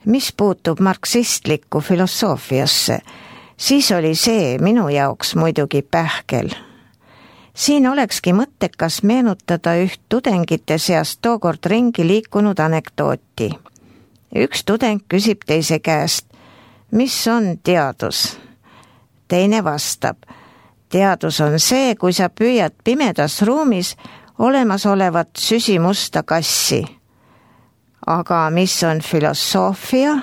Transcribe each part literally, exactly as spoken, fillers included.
Mis puutub marksistlikku filosoofiasse, siis oli see minu jaoks muidugi pähkel. Siin olekski mõttekas meenutada üht tudengite seast tookord ringi liikunud anekdooti. Üks tudeng küsib teise käest, mis on teadus? Teine vastab, teadus on see, kui sa püüad pimedas ruumis olemasolevat süsimusta kassi. Aga mis on filosoofia?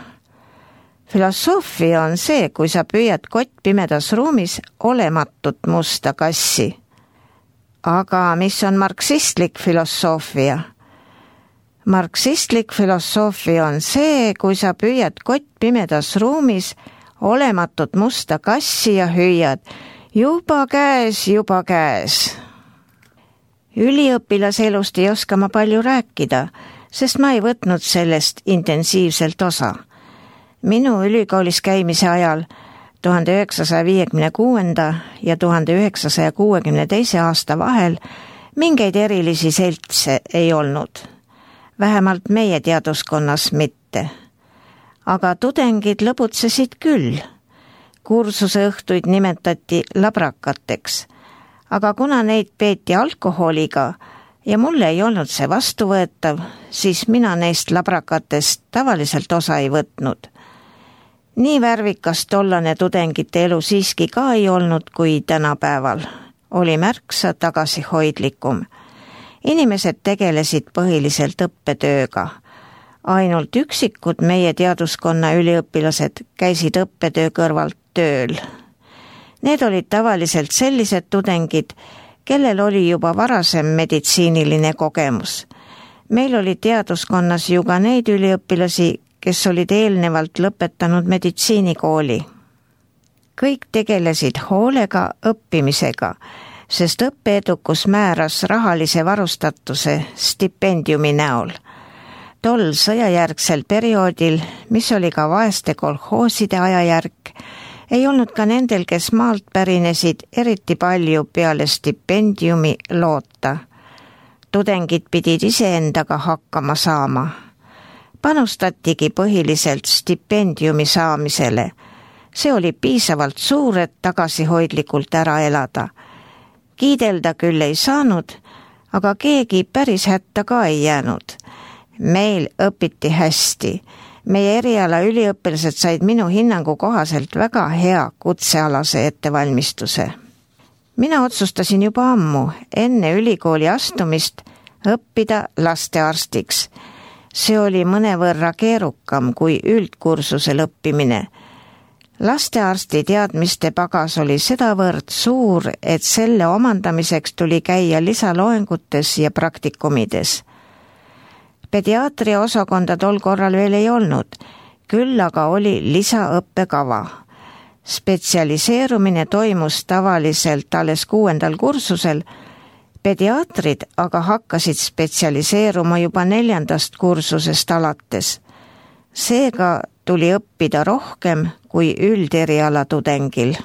Filosoofia on see, kui sa püüad kott pimedas ruumis olematut musta kassi. Aga mis on marksistlik filosoofia? Marksistlik filosoofia on see, kui sa püüad kott pimedas ruumis olematut musta kassi ja hüüad, juba käes, juba käes. Üliõpilaselust ei oska ma palju rääkida, sest ma ei võtnud sellest intensiivselt osa. Minu ülikoolis käimise ajal tuhande üheksasaja viiekümne kuuenda ja tuhande üheksasaja kuuekümne teise aasta vahel mingeid erilisi seltse ei olnud. Vähemalt meie teaduskonnas mitte. Aga tudengid lõbutsesid küll. Kursuse õhtuid nimetati labrakateks, aga kuna neid peeti alkoholiga ja mulle ei olnud see vastuvõetav, siis mina neist labrakatest tavaliselt osa ei võtnud. Nii värvikas tollane tudengite elu siiski ka ei olnud kui tänapäeval. Oli märksa tagasihoidlikum. Inimesed tegelesid põhiliselt õppetööga. Ainult üksikud meie teaduskonna üliõpilased käisid õppetöö kõrvalt tööl. Need olid tavaliselt sellised tudengid, kellel oli juba varasem meditsiiniline kogemus. Meil oli teaduskonnas ju ka neid üliõpilasi, kes olid eelnevalt lõpetanud meditsiinikooli. Kõik tegelesid hoolega õppimisega, sest õppeedukus määras rahalise varustatuse stipendiumi näol. Tol sõjajärgsel perioodil, mis oli ka vaeste kolhooside ajajärk, ei olnud ka nendel, kes maalt pärinesid, eriti palju peale stipendiumi loota. Tudengid pidid iseendaga hakkama saama. Panustatigi põhiliselt stipendiumi saamisele. See oli piisavalt suur, et tagasihoidlikult ära elada. Kiidelda küll ei saanud, aga keegi päris hätta ka ei jäänud. Meil õpiti hästi. Meie eriala üliõpilased said minu hinnangu kohaselt väga hea kutsealase ettevalmistuse. Mina otsustasin juba ammu, enne ülikooli astumist, õppida lastearstiks. See oli mõnevõrra keerukam kui üldkursusel õppimine. Lastearsti teadmiste pagas oli sedavõrd suur, et selle omandamiseks tuli käia lisaloengutes ja praktikumides. Pediaatria osakonda tol korral veel ei olnud, küll aga oli lisaõppekava. Spetsialiseerumine toimus tavaliselt alles kuuendal kursusel, pediaatrid aga hakkasid spetsialiseeruma juba neljandast kursusest alates. Seega tuli õppida rohkem kui ülderiala tudengil.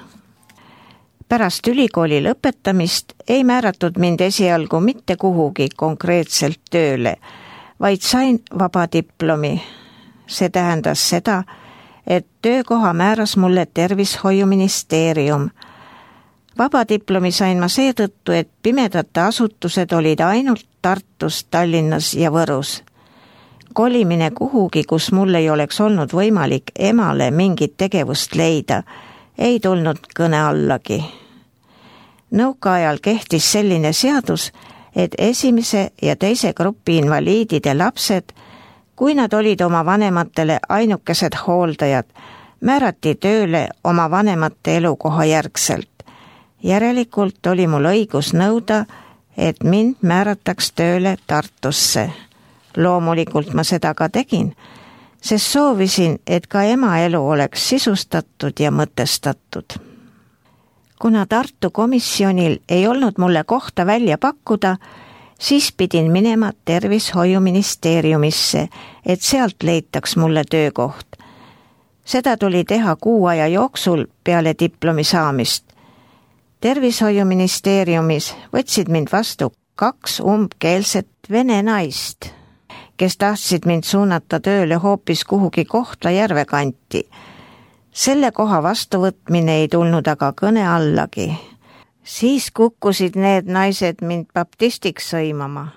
Pärast ülikooli lõpetamist ei määratud mind esialgu mitte kuhugi konkreetselt tööle, vaid sain vabadiplomi. See tähendas seda, et töökoha määras mulle tervishoiuministeerium. Vabadiplomi sain ma seetõttu, et pimedate asutused olid ainult Tartus, Tallinnas ja Võrus. Kolimine kuhugi, kus mul ei oleks olnud võimalik emale mingit tegevust leida, ei tulnud kõne allagi. Nõukaajal kehtis selline seadus, et esimese ja teise grupi invaliidide lapsed, kui nad olid oma vanematele ainukesed hooldajad, määrati tööle oma vanemate elukoha järgselt. Järelikult oli mul õigus nõuda, et mind määrataks tööle Tartusse. Loomulikult ma seda ka tegin, sest soovisin, et ka ema elu oleks sisustatud ja mõtestatud. Kuna Tartu komisjonil ei olnud mulle kohta välja pakkuda, siis pidin minema tervishoiuministeeriumisse, et sealt leitaks mulle töökoht. Seda tuli teha kuu aja jooksul peale diplomi saamist. Tervishoiuministeeriumis võtsid mind vastu kaks umbkeelset vene naist, kes tahtsid mind suunata tööle hoopis kuhugi Kohtla-Järve kanti. Selle koha vastuvõtmine ei tulnud aga kõne allagi. Siis kukkusid need naised mind baptistiks sõimama.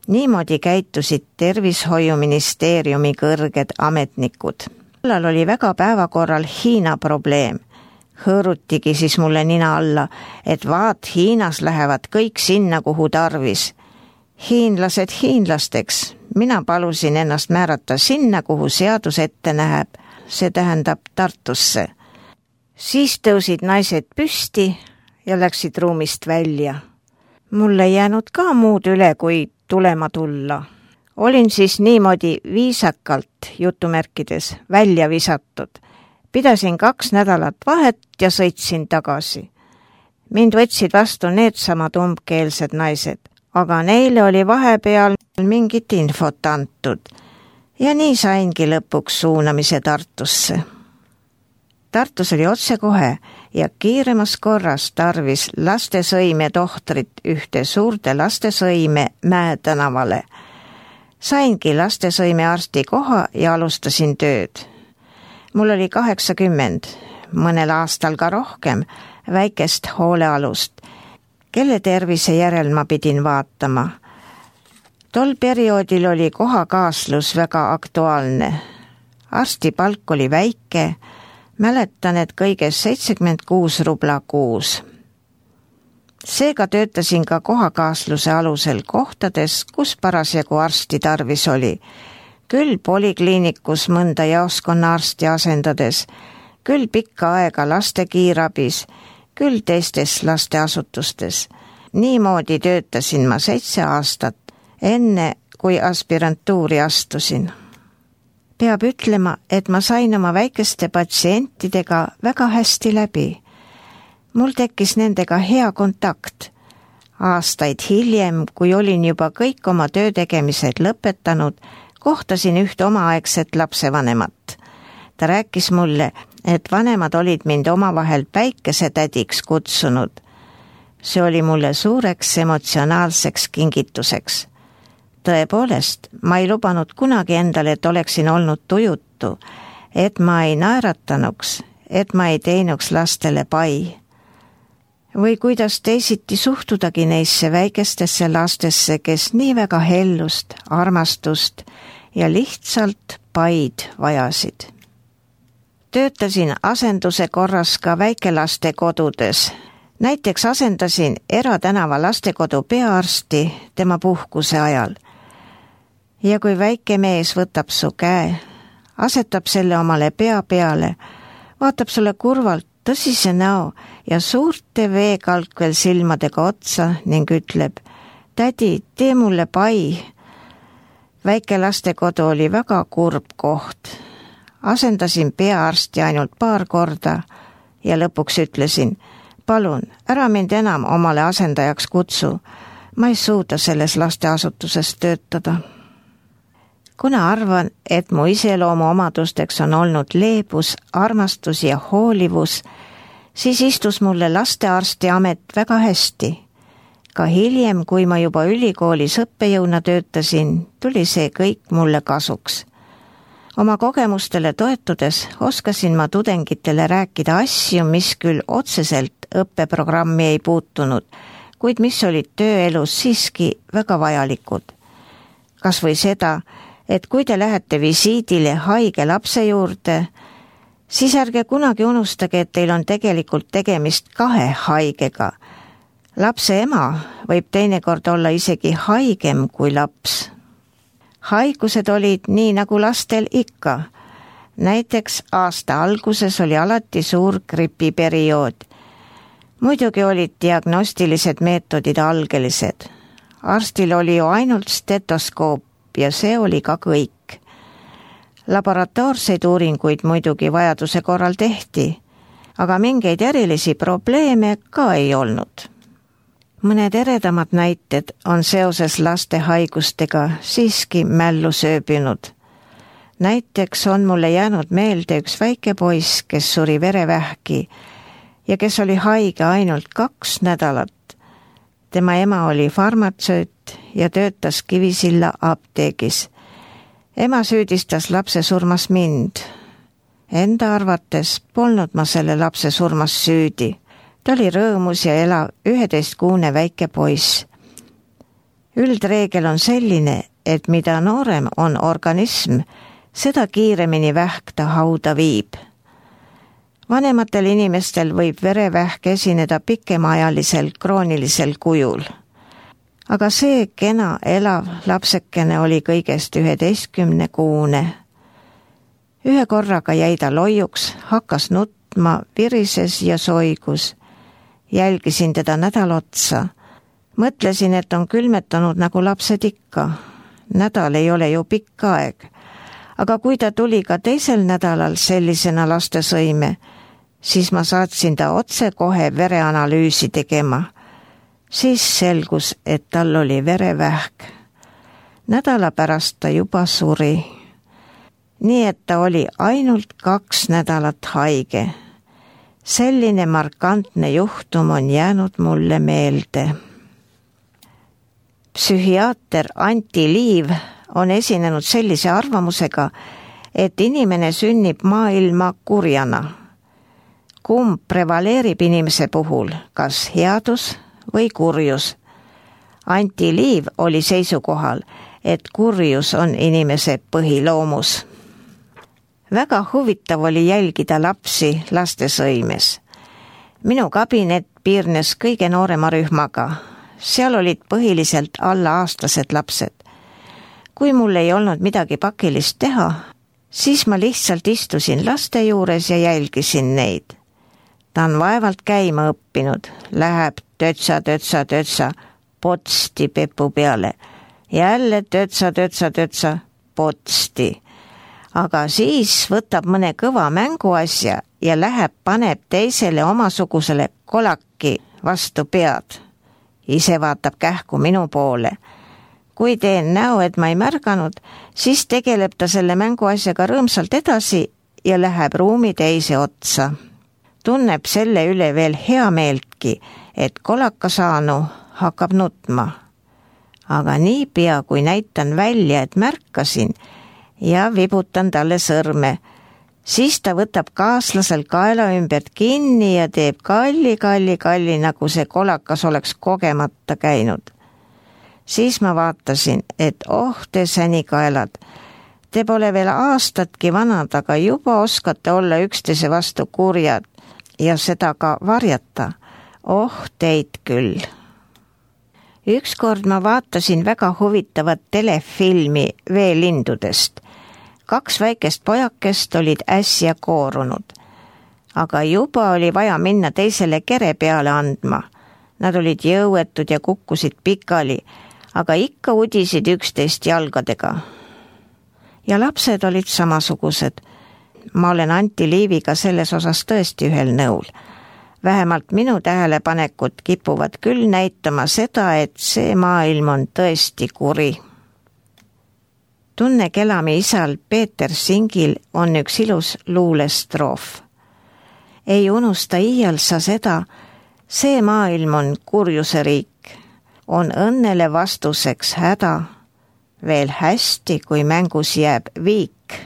Niimoodi käitusid tervishoiuministeeriumi kõrged ametnikud. Allal oli väga päevakorral Hiina probleem. Hõõrutigi siis mulle nina alla, et vaat Hiinas lähevad kõik sinna, kuhu tarvis. Hiinlased hiinlasteks. Mina palusin ennast määrata sinna, kuhu seadus ette näeb. See tähendab Tartusse. Siis tõusid naised püsti ja läksid ruumist välja. Mul ei jäänud ka muud üle, kui tulema tulla. Olin siis niimoodi viisakalt, jutumärkides, välja visatud. Pidasin kaks nädalat vahet ja sõitsin tagasi. Mind võtsid vastu needsamad umbkeelsed naised, aga neile oli vahepeal mingit infot antud. Ja nii saingi lõpuks suunamise Tartusse. Tartus oli otsekohe ja kiiremas korras tarvis lastesõime tohtrit ühte suurde lastesõime Mäe tänavale. Saingi lastesõime arsti koha ja alustasin tööd. Mul oli kaheksakümmend, mõnel aastal ka rohkem, väikest hoolealust, kelle tervise järel ma pidin vaatama. Tol perioodil oli kohakaaslus väga aktuaalne. Arsti palk oli väike, mäletan, et kõigest seitsekümmend kuus rubla kuus. Seega töötasin ka kohakaasluse alusel kohtades, kus parasjagu arsti tarvis oli. Küll polikliinikus mõnda jaoskonna arsti asendades, küll pikka aega laste kiirabis, küll teistes lasteasutustes. Niimoodi töötasin ma seitse aastat, enne kui aspirantuuri astusin. Peab ütlema, et ma sain oma väikeste patsientidega väga hästi läbi. Mul tekkis nendega hea kontakt. Aastaid hiljem, kui olin juba kõik oma töötegemised lõpetanud, kohtasin ühte omaaegset lapsevanemat. Ta rääkis mulle, et vanemad olid mind omavahel päikesetädiks kutsunud. See oli mulle suureks emotsionaalseks kingituseks. Tõepoolest, ma ei lubanud kunagi endale, et oleksin olnud tujutu, et ma ei naeratanuks, et ma ei teinuks lastele pai. Või kuidas teisiti suhtudagi neisse väikestesse lastesse, kes nii väga hellust, armastust ja lihtsalt paid vajasid. Töötasin asenduse korras ka väikelaste kodudes. Näiteks asendasin eratänava lastekodu peaarsti tema puhkuse ajal. Ja kui väike mees võtab su käe, asetab selle omale pea peale, vaatab sulle kurvalt tõsise näo ja suurte veekalkvel silmadega otsa ning ütleb, tädi, tee mulle pai. Väike lastekodu oli väga kurb koht. Asendasin peaarsti ainult paar korda ja lõpuks ütlesin, palun, ära mind enam omale asendajaks kutsu. Ma ei suuda selles lasteasutuses töötada. Kuna arvan, et mu iseloomu omadusteks on olnud leebus, armastus ja hoolivus, siis istus mulle lastearsti amet väga hästi. Ka hiljem, kui ma juba ülikoolis õppejõuna töötasin, tuli see kõik mulle kasuks. Oma kogemustele toetudes oskasin ma tudengitele rääkida asju, mis küll otseselt õppeprogrammi ei puutunud, kuid mis olid tööelus siiski väga vajalikud. Kas või seda, et kui te lähete visiidile haige lapse juurde, siis ärge kunagi unustage, et teil on tegelikult tegemist kahe haigega. Lapse ema võib teinekord olla isegi haigem kui laps. Haigused olid nii nagu lastel ikka. Näiteks aasta alguses oli alati suur gripiperiood. Muidugi olid diagnostilised meetodid algelised. Arstil oli ju ainult stetoskoop ja see oli ka kõik. Laboratoorseid uuringuid muidugi vajaduse korral tehti, aga mingeid erilisi probleeme ka ei olnud. Mõned eredamad näited on seoses laste haigustega siiski mällu sööbinud. Näiteks on mulle jäänud meelde üks väike poiss, kes suri verevähki ja kes oli haige ainult kaks nädalat. Tema ema oli farmatsööt ja töötas Kivisilla apteegis. Ema süüdistas lapse surmas mind. Enda arvates polnud ma selle lapse surmas süüdi. Ta oli rõõmus ja elav üheteistkuune väike poiss. Üldreegel on selline, et mida noorem on organism, seda kiiremini vähk ta hauda viib. Vanematel inimestel võib verevähk esineda pikemaajalisel kroonilisel kujul. Aga see kena elav lapsekene oli kõigest üheteistkümne kuune. Ühe korraga jäi ta loiuks, hakkas nutma, virises ja soigus. Jälgisin teda nädal otsa. Mõtlesin, et on külmetanud nagu lapsed ikka. Nädal ei ole ju pikk aeg. Aga kui ta tuli ka teisel nädalal sellisena lastesõime, siis ma saatsin ta otse kohe vereanalüüsi tegema. Siis selgus, et tal oli verevähk. Nädala pärast ta juba suri. Nii et ta oli ainult kaks nädalat haige. Selline markantne juhtum on jäänud mulle meelde. Psühhiaater Anti Liiv on esinenud sellise arvamusega, et inimene sünnib maailma kurjana. Kumb prevaleerib inimese puhul, kas headus või kurjus? Anti Liiv oli seisukohal, et kurjus on inimese põhiloomus. Väga huvitav oli jälgida lapsi lastesõimes. Minu kabinet piirnes kõige noorema rühmaga. Seal olid põhiliselt alla aastased lapsed. Kui mul ei olnud midagi pakilist teha, siis ma lihtsalt istusin laste juures ja jälgisin neid. Ta on vaevalt käima õppinud, läheb tötsa, tötsa, tötsa, potsti pepu peale. Jälle tötsa, tötsa, tötsa, potsti. Aga siis võtab mõne kõva mänguasja ja läheb paneb teisele omasugusele kolaki vastu pead. Ise vaatab kähku minu poole. Kui teen näo, et ma ei märganud, siis tegeleb ta selle mänguasjaga rõõmsalt edasi ja läheb ruumi teise otsa. Tunneb selle üle veel hea meeltki, et kolaka saanu hakkab nutma. Aga niipea, kui näitan välja, et märkasin ja vibutan talle sõrme, siis ta võtab kaaslasel kaela ümbert kinni ja teeb kalli, kalli, kalli, nagu see kolakas oleks kogemata käinud. Siis ma vaatasin, et oh te sänikaelad, te pole veel aastatki vanad, aga juba oskate olla üksteise vastu kurjad ja seda ka varjata. Oh teid küll. Ükskord ma vaatasin väga huvitavat telefilmi veelindudest. Kaks väikest pojakest olid äsja koorunud, aga juba oli vaja minna teisele kere peale andma. Nad olid jõuetud ja kukkusid pikali, aga ikka udisid üksteist jalgadega. Ja lapsed olid samasugused. Ma olen Anti Liiviga selles osas tõesti ühel nõul. Vähemalt minu tähelepanekud kipuvad küll näitama seda, et see maailm on tõesti kuri. Tunne Kelami isal Peeter Singil on üks ilus luulestroof. Ei unusta iial sa seda, see maailm on kurjuse riik, on õnnele vastuseks häda, veel hästi, kui mängus jääb viik.